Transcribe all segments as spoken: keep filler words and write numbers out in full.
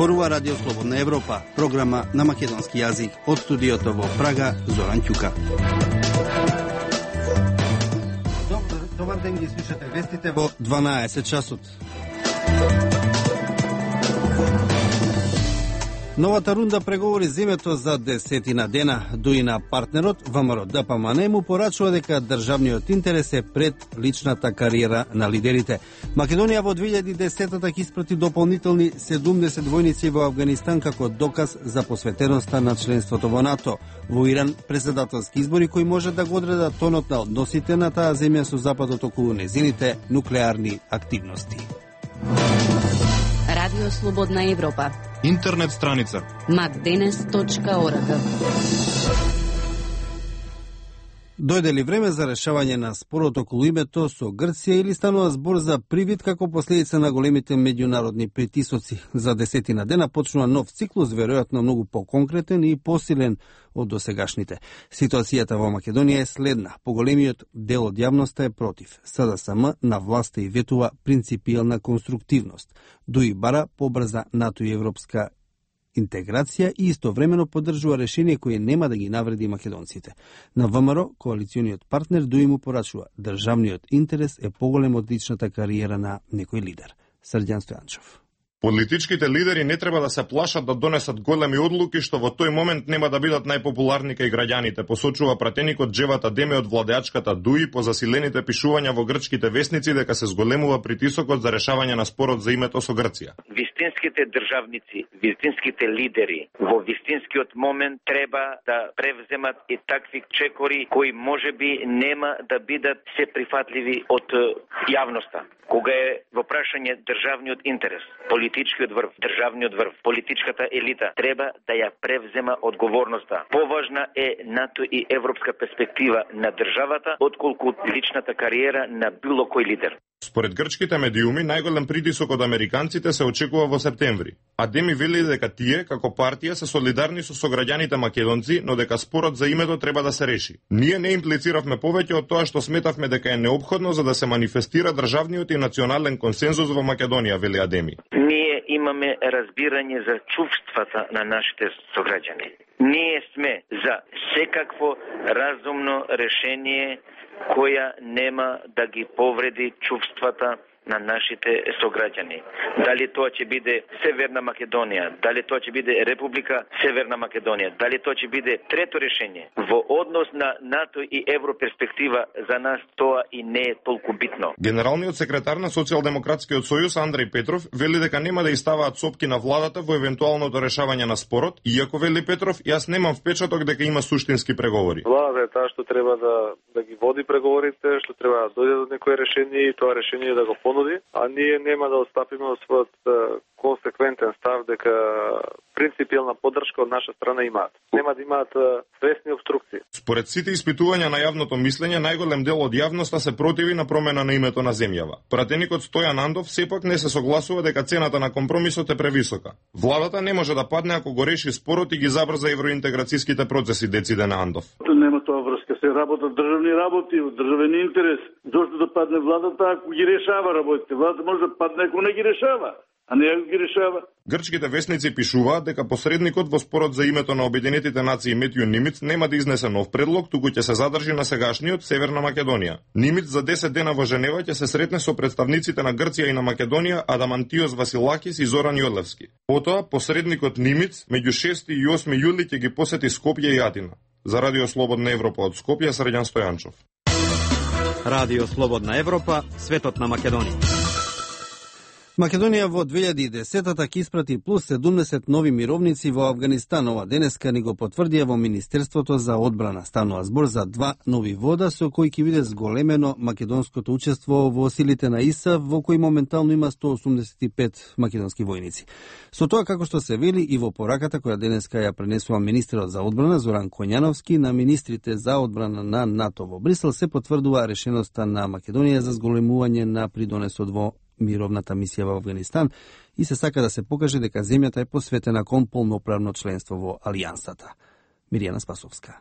Зборува Радио Слободна Европа, програма на македонски јазик. Од студиото во Прага, Зоран Ќука. Добар, добар ден, ги слушате вестите во дванаесет часот. Новата рунда преговори земјето за десетина дена. Дуина партнерот ВМРО Д П М Н му порачува дека државниот интерес е пред личната кариера на лидерите. Македонија во две илјади и десета ќе испрати дополнителни седумдесет војници во Авганистан како доказ за посветеноста на членството во НАТО. Во Иран председателски избори кои може да го одредат тонот на односите на таа земја со Западот околу незините нуклеарни активности. Радио Слободна Европа. Интернет страница макденес точка орг. Дојде ли време за решавање на спорот околу името со Грција или станува збор за привид како последица на големите меѓународни притисоци? За десетина дена почнува нов циклус, веројатно многу поконкретен и посилен од досегашните. Ситуацијата во Македонија е следна. Поголемиот дел од јавноста е против. С Д С М на власта и ветува принципијална конструктивност. Дуи бара побрза НАТО и европска интеграција и истовремено поддржува решение кое нема да ги навреди македонците. На ВМРО, коалициониот партнер, Дуи му порачува: државниот интерес е поголем од личната кариера на некој лидер. Срđan Стојанчов. Политичките лидери не треба да се плашат да донесат големи одлуки што во тој момент нема да бидат најпопуларни кај граѓаните, посочува пратеникот Джеват Адеми од владеачката Дуи по засилените пишувања во грчките весници дека се зголемува притисокот за решавање на спорот за името со Грција. Вистинските државници, вистинските лидери во вистинскиот момент треба да превземат и такви чекори кои можеби нема да бидат се прифатливи од јавноста. Кога е во прашање државниот интерес, политичкиот врв, државниот врв, политичката елита треба да ја превзема одговорноста. Поважна е НАТО и европска перспектива на државата отколку личната кариера на било кој лидер. Според грчките медиуми, најголем притисок од американците се очекува во септември. Адеми вели дека тие, како партија, се солидарни со сограѓаните македонци, но дека спорот за името треба да се реши. Ние не имплициравме повеќе од тоа што сметавме дека е неопходно за да се манифестира државниот и национален консензус во Македонија, вели Адеми. Ние имаме разбирање за чувствата на нашите сограѓани. Ние сме за секакво разумно решение која нема да ги повреди чувствата на нашите сограѓани. Дали тоа ќе биде Северна Македонија, дали тоа ќе биде Република Северна Македонија, дали тоа ќе биде трето решение. Во однос на НАТО и европерспектива за нас тоа и не е толку битно. Генералниот секретар на Социјалдемократскиот сојуз Андреј Петров вели дека нема да иставаат сопки на владата во евентуалното решавање на спорот, иако вели Петров, јас немам впечаток дека има суштински преговори. Владата е таа што треба да да ги води преговорите, што треба да дојде до некое решение и тоа решение да го понуди, а ние нема да отстапиме од својот консеквентен став дека принципијална поддршка од наша страна имаат. Нема да имаат свесни обструкции. Според сите испитувања на јавното мислење, најголем дел од јавноста се противи на промена на името на земјава. Пратеникот Стојан Андов сепак не се согласува дека цената на компромисот е превисока. Владата не може да падне ако го реши спорот и ги забрза евроинтеграцијските процеси, дециде на Андов. Нема тоа врска, се работат државни работи, државен интерес. Зошто да падне владата ако ги решава работите? Владата може да падне ако не ги решава, а не ако ги решава. Грчките весници пишуваат дека посредникот во спорот за името на Обединетите нации Метју Нимиц нема да изнесе нов предлог, туку ќе се задржи на сегашниот Северна Македонија. Нимиц за десет дена во Женева ќе се сретне со представниците на Грција и на Македонија Адамантиос Василакис и Зоран Јодлевски. Потоа посредникот Нимиц меѓу шести и осми јули ќе ги посети Скопје и Атина. За Радио Слободна Европа од Скопје, Срđan Стојанчов. Радио Слободна Европа, светот на Македонија. Македонија во две илјади и десета ќе испрати плюс седумдесет нови мировници во Авганистан. Ова денеска ни го потврдија во Министерството за одбрана. Станува збор за два нови вода со кои ќе биде зголемено македонското учество во силите на ИСАФ, во кои моментално има сто осумдесет и пет македонски војници. Со тоа, како што се вели и во пораката која денеска ја пренесува министерот за одбрана Зоран Коњановски на министрите за одбрана на НАТО во Брисел, се потврдува решеноста на Македонија за зголемување на придонесот во мировната мисија во Авганистан и се сака да се покаже дека земјата е посветена кон полноправно членство во Алијансата. Миријана Спасовска.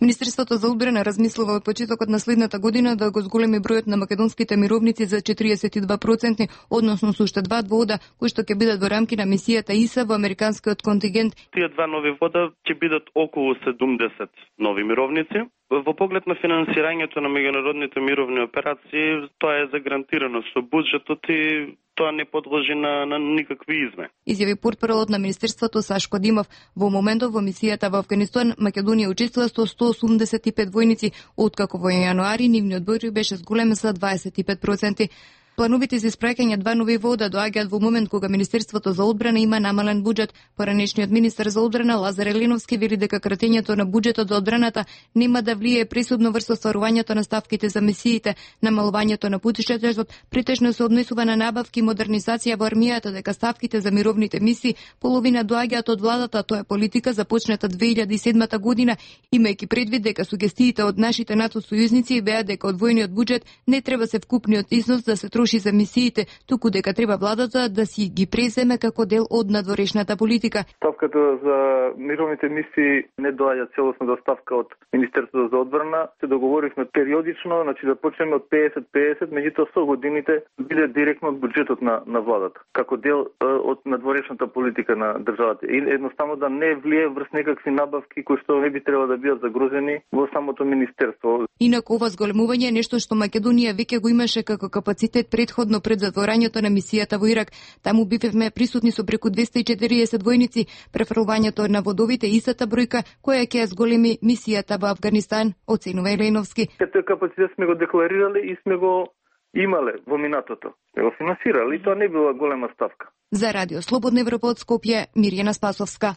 Министерството за одбрана размислува од почетокот на следната година да го зголеми бројот на македонските мировници за четириесет и два проценти, односно со уште два вода, кои што ќе бидат во рамки на мисијата ИСА во американскиот контингент. Тие два нови вода ќе бидат околу седумдесет нови мировници. Во поглед на финансирањето на меѓународните мировни операции, тоа е загарантирано со буџетот и тоа не подлежи на, на никакви измени. Изјави портпаролот на Министерството Сашко Димов. Во моментов во мисијата во Авганистан, Македонија учествува со сто осумдесет и пет војници, откако во јануари нивниот број беше зголемен за дваесет и пет проценти. Плановите за испраќање два нови вода доаѓаат во момент кога Министерството за одбрана има намален буџет. Поранешниот министер за одбрана Лазар Елиновски вели дека кратењето на буџетот за одбраната нема да влие пресудно врз остварувањето на ставките за мисиите. Намалувањето на буџетот претежно се однесува на набавки и модернизација во армијата, дека ставките за мировните мисии половина доаѓаат од владата. Тоа е политика започната две илјади и седмата година, имајќи предвид дека сугестиите од нашите НАТО сојузници беа дека одвоениот буџет не треба се вкупниот износ да се за мисиите, туку дека треба владата да си ги преземе како дел од надворешната политика. Ставката за мировните мисии не доаѓа целосна ставка од Министерството за одбрана. Се договоривме периодично, значи да почнеме од песет песет, меѓутоа со годините биде директно од буџетот на на владата, како дел од надворешната политика на државата. И едноставно да не влие врз некакви набавки кои што не би требало да бидат загрозени во самото министерство. Инаку ова зголемување е нешто што Македонија веќе го имаше како капацитет предходно пред затворањето на мисијата во Ирак. Таму бивме присутни со преку двесте и четириесет војници. Префрлувањето на водовите истата бројка која ќе зголеми мисијата во Авганистан, оценува Елиновски. Тој капацитет сме го декларирали и сме го имале во минатото. Сме го финансирали и тоа не била голема ставка. За Радио Слободна Европа од Скопје, Мирјана Спасовска.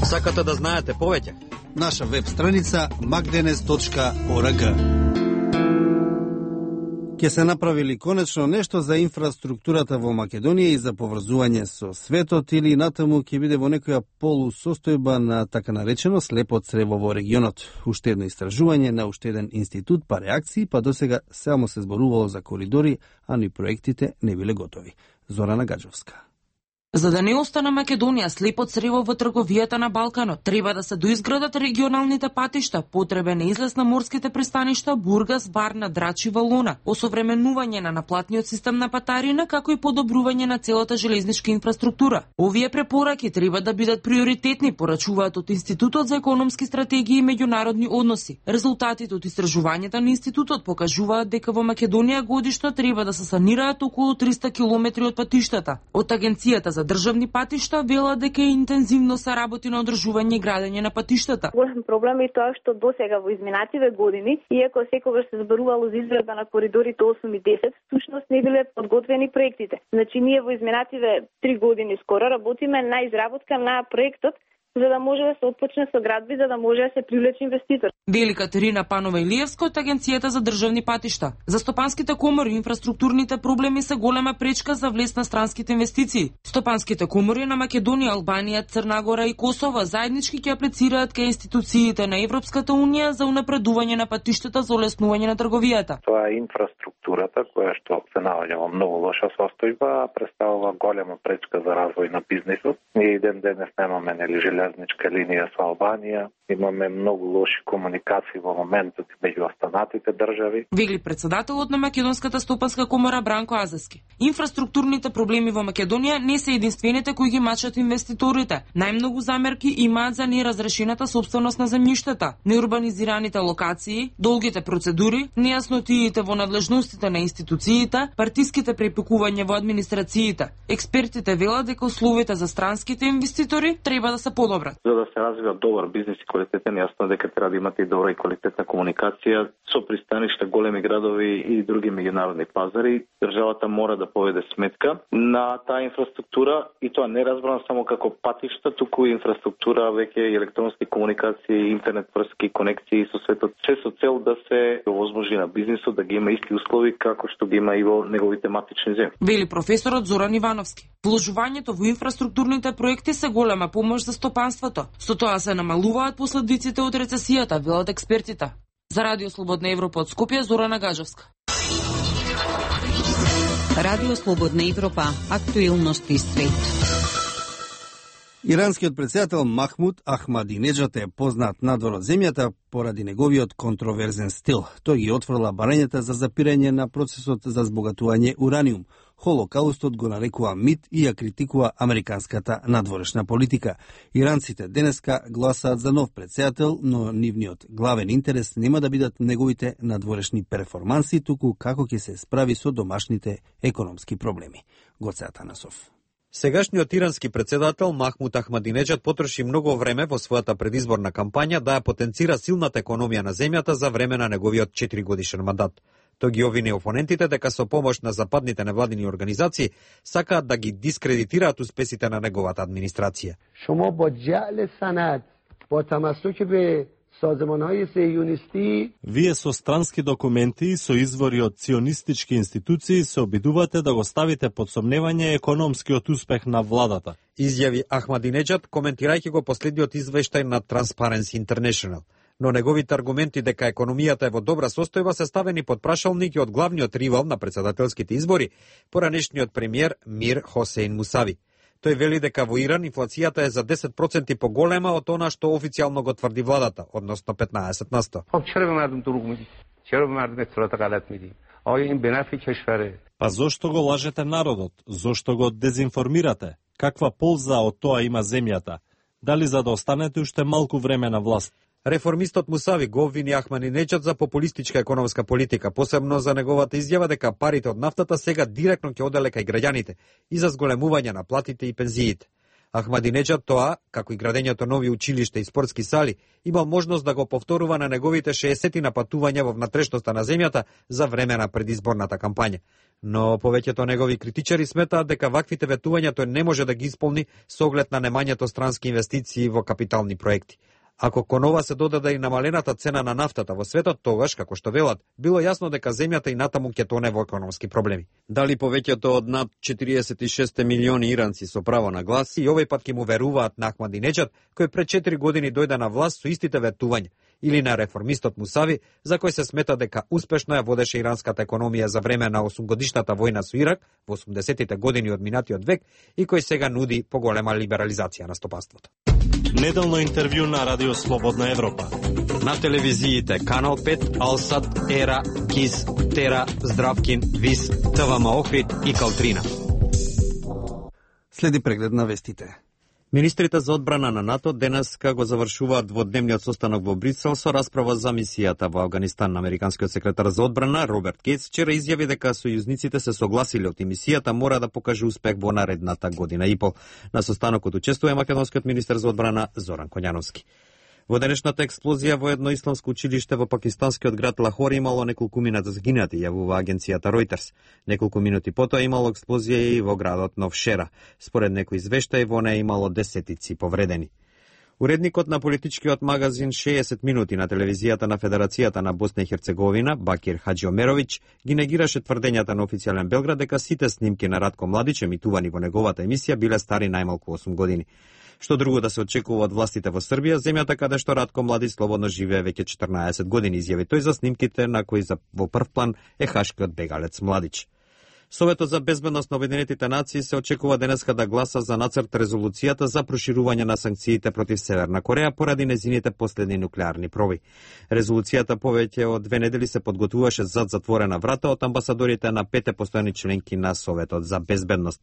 Сакате да знаете повеќе? Наша веб страница макденес точка орг. Ке се направили конечно нешто за инфраструктурата во Македонија и за поврзување со светот, или натаму ќе биде во некоја полусостојба на така наречено слепо црево во регионот. Уште едно истражување на уште еден институт па реакции, па досега само се зборувало за коридори, а ни проектите не биле готови. Зорана Гаджовска. За да не остане Македонија слепо црево во трговијата на Балканот, треба да се доизградат регионалните патишта, потребен е излез на морските пристаништа Бургас, Варна, Драчи, Валона, осовременување на наплатниот систем на патарина, како и подобрување на целата железничка инфраструктура. Овие препораки треба да бидат приоритетни, порачуваат од Институтот за економски стратегии и меѓународни односи. Резултатите од истражувањето на институтот покажуваат дека во Македонија годишно треба да се санираат околу триста километри од патиштата. Од Агенцијата за државни патишта вела дека интензивно се работи на одржување и градење на патиштата. Голем проблем е тоа што досега во изминативе години, иако секогаш се зборувало за изградба на коридорите осум и десет, всушност не биле подготвени проектите. Значи ние во изминативе три години скоро работиме на изработка на проектот, за да може да се отпочне со градби, за да може да се привлече инвеститор. Вели Катерина Панова Илиевска од Агенцијата за државни патишта. За стопанските комори инфраструктурните проблеми се голема пречка за влез на странските инвестиции. Стопанските комори на Македонија, Албанија, Црна Гора и Косово заеднички ќе аплицираат кај институциите на Европската унија за унапредување на патиштата за олеснување на трговијата. Тоа е инфраструктурата која што се наоѓа во многу лоша состојба, представува голема пречка за развој на бизнисот. Ние ден денес немаме нели железничка линија со Албанија, имаме многу лоши комуникации во моментот меѓу останатите држави. Вели председателот на Македонската стопанска комора Бранко Азески. Инфраструктурните проблеми во Македонија не се единствените кои ги мачат инвеститорите. Најмногу замерки имаат за неразрешената собственост на земјиштата, неурбанизираните локации, долгите процедури, нејаснотиите во надлежностите на институциите, партиските препекувања во администрациите. Експертите велат дека условите за странските инвеститори треба да се подобрат. За да се развива добар бизнис и квалитетен, јасно дека треба да имате и добра и квалитетна комуникација со пристаништа, големи градови и други меѓународни пазари. Државата мора да поведе сметка на таа инфраструктура, и тоа не разбрано само како патишта, туку и инфраструктура веќе електронски комуникации, интернет врски, конекции со светот, се со цел да се овозможи на бизнисот да ги има исти услови како што ги има и во неговите матични земји. Вели професорот Зоран Ивановски. Вложувањето во инфраструктурните проекти се голема помош за стопанството. Со тоа се намалуваат последиците од рецесијата, велат експертите. За Радио Слободна Европа од Скопје, Зорана Гаджовска. Радио Слободна Европа, актуелности свет. Иранскиот претседател Махмуд Ахмадинеджад е познат надвор од земјата поради неговиот контроверзен стил. Тој ги отфрла барањата за запирање на процесот за збогатување ураниум. Холокаустот го нарекува мит и ја критикува американската надворешна политика. Иранците денеска гласаат за нов претседател, но нивниот главен интерес нема да бидат неговите надворешни перформанси, туку како ќе се справи со домашните економски проблеми. Гоце Атанасов. Сегашниот ирански претседател Махмуд Ахмадинеджад потроши многу време во својата предизборна кампања да ја потенцира силната економија на земјата за време на неговиот четиригодишен мандат. Тој ги обвини опонентите дека со помош на западните невладини организации сакаат да ги дискредитираат успесите на неговата администрација. Шумо бо ҷаъл санад, бо тамассук бе созманҳои сионисти, вие со странски документи и со извори од сионистички институции се обидувате да го ставите под сомневање економскиот успех на владата. Изјави Ахмадинеджад коментирајќи го последниот извештај на Transparency International. Но неговите аргументи дека економијата е во добра состојба се ставени под прашалник и од главниот ривал на претседателските избори, поранешниот премиер Мир Хосейн Мусави. Тој вели дека во Иран инфлацијата е за десет проценти поголема од она што официјално го тврди владата, односно петнаесет на сто. Па зошто го лажете народот? Зошто го дезинформирате? Каква полза од тоа има земјата? Дали за да останете уште малку време на власт? Реформистот Мусави го обвини Ахмадинеджад за популистичка економска политика, посебно за неговата изјава дека парите од нафтата сега директно ќе оделе кај граѓаните и за зголемување на платите и пензиите. Ахмадинеджад тоа, како и градењето нови училишта и спортски сали, имал можност да го повторува на неговите шеесет напатувања во внатрешноста на земјата за време на предизборната кампања. Но повеќето негови критичари сметаат дека ваквите ветувања тој не може да ги исполни со оглед на немањето странски инвестиции во капитални проекти. Ако кон ова се додаде и намалената цена на нафтата во светот, тогаш, како што велат, било јасно дека земјата и натаму ќе тоне во економски проблеми. Дали повеќето од над четириесет и шест милиони иранци со право на глас и овој пат ќе му веруваат на Ахмадинеджад, кој пред четири години дојде на власт со истите ветувања, или на реформистот Мусави, за кој се смета дека успешно ја водеше иранската економија за време на осумгодишната војна со Ирак во осумдесетите години од минатиот век и кој сега нуди поголема либерализација на стопанството. Неделно интервју на Радио Слободна Европа. На телевизиите Канал пет, Алсат, Ера, Кис, Тера, Здравкин, Вис, ТВМ Охрид и Калтрина. Следи преглед на вестите. Министрите за одбрана на НАТО денеска го завршуваат дводневниот состанок во Брисел со расправа за мисијата во Авганистан. Американскиот секретар за одбрана Роберт Гейтс вчера изјави дека сојузниците се согласиле од мисијата мора да покаже успех во наредната година и пол. На состанокот учествува македонскиот министер за одбрана Зоран Коњановски. Во денешната експлозија во едно исламско училиште во пакистанскиот град Лахор имало неколку минати загинати, јавува агенцијата Reuters. Неколку минути потоа имало експлозија и во градот Новшера. Според некои извештаи во неја имало десетици повредени. Уредникот на политичкиот магазин шеесет минути на телевизијата на Федерацијата на Босна и Херцеговина, Бакир Хаџиомеровиќ, ги негираше тврдењата на официјален Белград дека сите снимки на Радко Младич емитувани во неговата емисија биле стари најмалку осум години. Што друго да се очекува од властите во Србија, земјата каде што Радко Младич слободно живее веќе четрнаесет години, изјави тој за снимките на кои за во прв план е хашкиот бегалец Младич. Советот за безбедност на Обединетите нации се очекува денеска да гласа за нацрт резолуцијата за проширување на санкциите против Северна Кореја поради незините последни нуклеарни проби. Резолуцијата повеќе од две недели се подготвуваше зад затворена врата од амбасадорите на пете постојани членки на Советот за безбедност.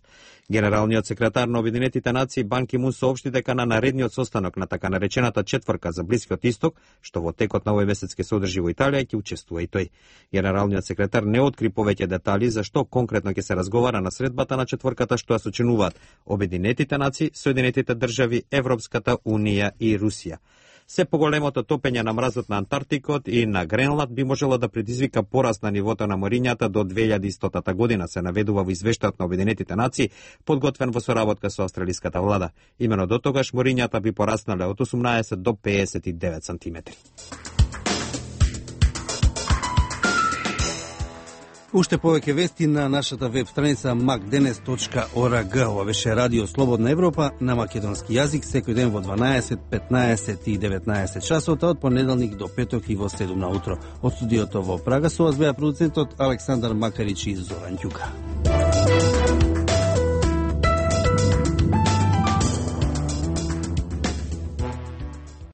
Генералниот секретар на Обединетите нации Бан Ки Мун соопшти дека на наредниот состанок на така наречената четврка за Блискиот Исток, што во текот на овој месец ќе се одржи во Италија, ќе учествува и тој. Генералниот секретар не откри повеќе детали за што конкретно ќе се разговара на средбата на четврката што ја сочинуваат Обединетите нации, Соединетите држави, Европската унија и Русија. Се поголемото топење на мразот на Антарктикот и на Гренланд би можело да предизвика пораст на нивото на морињата до две илјади и стотата година, се наведува во извештајот на Обединетите нации, подготвен во соработка со австралиската влада. Имено до тогаш морињата би пораснале од осумнаесет до пеесет и девет сантиметри. Уште повеќе вести на нашата веб страница макденес точка орг. Ова беше Радио Слободна Европа на македонски јазик секој ден во дванаесет, петнаесет и деветнаесет часот, од понеделник до петок и во седум на утро. Од студиото во Прага со вас беа продуцентот Александар Макарич и Зоран Ѓука.